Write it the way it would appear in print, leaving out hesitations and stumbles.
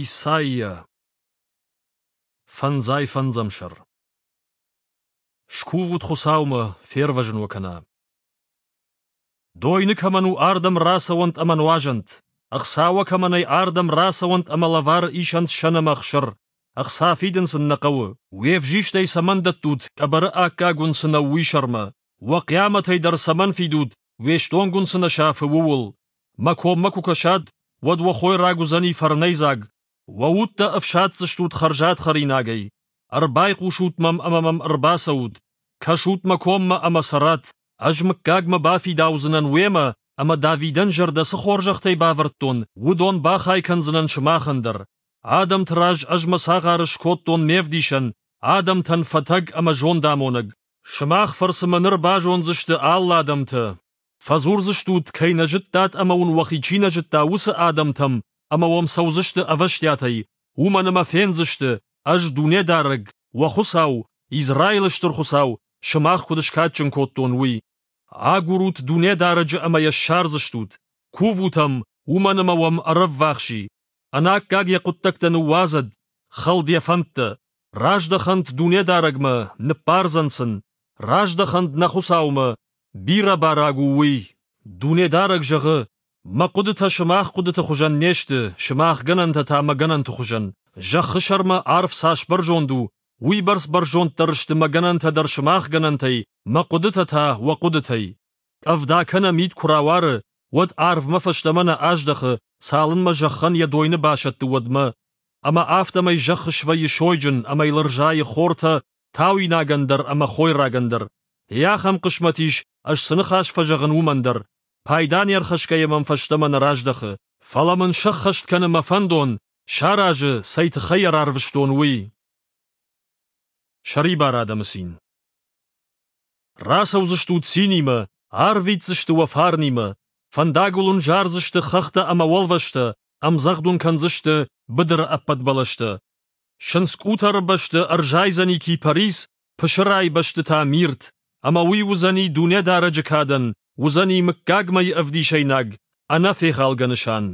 Исайя Фӕндзай фӕндзӕм сӕр Скувут Хуыцаумӕ, фервӕзын уӕ кӕна. Дойны кӕмӕн у, ардӕм рацӕуӕнт ӕмӕ нуазӕнт. Ӕхца уӕ кӕмӕ нӕй, ардӕм рацӕуӕнт ӕмӕ лӕвар исӕнт сӕн ӕмӕ ӕхсыр. Ӕхца фидын сын нӕ хъӕуы. Уе взистӕй цӕмӕн дӕттут, къӕбӕры аккаг уын цы нӕу, уый сӕрмӕ? Уӕ хъиамӕтӕй дӕр цӕмӕн фидут, уе стонг уын цы нӕ сафы, ууыл? Мӕ коммӕ куы кӕсат, уӕд уӕ хойраг уыдзӕни фӕрнӕйдзаг, уӕ удтӕ ӕфсаддзыстут хӕрзад хӕринагӕй. Ӕрбайхъусут мӕм ӕмӕ мӕм ӕрбацӕут, кӕсут мӕ коммӕ ӕмӕ цӕрат. Ӕз мыггагмӕ бафидаудзынӕн уемӕ ӕмӕ Давидӕн зӕрдӕ цы хорзӕхтӕй бавӕрдтон, уыдон бахай кӕндзынӕн сымахӕн дӕр. Адӕмты раз ӕз мӕ цагъары скодтон ме вдисӕн, адӕмтӕн фӕтӕг ӕмӕ зондамонӕг. Сымах фӕрцы мӕ ныр базондзысты алы адӕмтӕ. Фӕдзурдзыстут, кӕй нӕ зыдтат ӕмӕ уын уӕхи чи нӕ зыдта, уыцы адӕмтӕм, ӕмӕ уӕм цӕудзысты ӕвӕстиатӕй, уымӕн ӕмӕ фендзысты, ӕз Дунедарӕг, уӕ Хуыцау, Израилы Стыр Хуыцау, сымах куыд скадджын кодтон, уый. Агурут Дунедарӕджы ӕмӕ йӕ ссардзыстут. Кувут ӕм, уымӕн ӕмӕ уӕм ӕрӕввахс и. Ӕнаккаг йӕ хъуыддӕгтӕ ныууадзӕд, хӕлд йӕ фӕндтӕ. Раздӕхӕнт Дунедарӕгмӕ, ныббардзӕн сын. Раздӕхӕнт нӕ Хуыцаумӕ, бирӕ бараг у уый. Дунедарӕг зӕгъы: Мӕ хъуыдытӕ сымах хъуыдыты хуызӕн не сты, сымах гӕнӕнтӕ та мӕ гӕнӕнты хуызӕн. Зӕххы сӕрмӕ арв цас бӕрзонд у, уыйбӕрц бӕрзонддӕр сты мӕ гӕнӕнтӕ дӕр сымах гӕнӕнтӕй, мӕ хъуыдытӕ та уӕ хъуыдытӕй. Къӕвда кӕнӕ мит куы рауары, уӕд арвмӕ фӕстӕмӕ нӕ аздӕхы, цалынмӕ зӕххӕн йӕ дойны басӕтты, уӕдмӕ. Ӕмӕ афтӕмӕй зӕхх свӕййы сойджын ӕмӕ йыл ӕрзайы хортӕ, тауинагӕн дӕр ӕмӕ хойрагӕн дӕр. Йе ахӕм хъысмӕт ис, ӕз цы ныхас фӕзӕгъын, уымӕн дӕр. Пайда не рхӕсгӕйӕ мӕм фӕстӕмӕ нӕ раздӕхы. Фӕлӕ мын сӕххӕст кӕны мӕ фӕндон, саразы, цӕй тыххӕй йӕ рарвыстон, уый. Сӕрибар адӕмы цин. Рацӕудзыстут цинимӕ, арвитдзысты уӕ фарнимӕ, фӕндагыл уын зардзысты хӕхтӕ ӕмӕ уӕлвӕзтӕ, ӕмдзӕгъд уын кӕндзысты быдыры ӕппӕт бӕлӕстӕ. Сындзкъутӕры бӕсты ӕрзайдзӕни кипарис, пысырайы бӕсты та мирт, ӕмӕ уый уыдзӕни Дунедарӕджы кадӕн, уыдзӕни мыггагмӕйы ӕвдисӕйнаг, ӕнӕфехалгӕ нысан.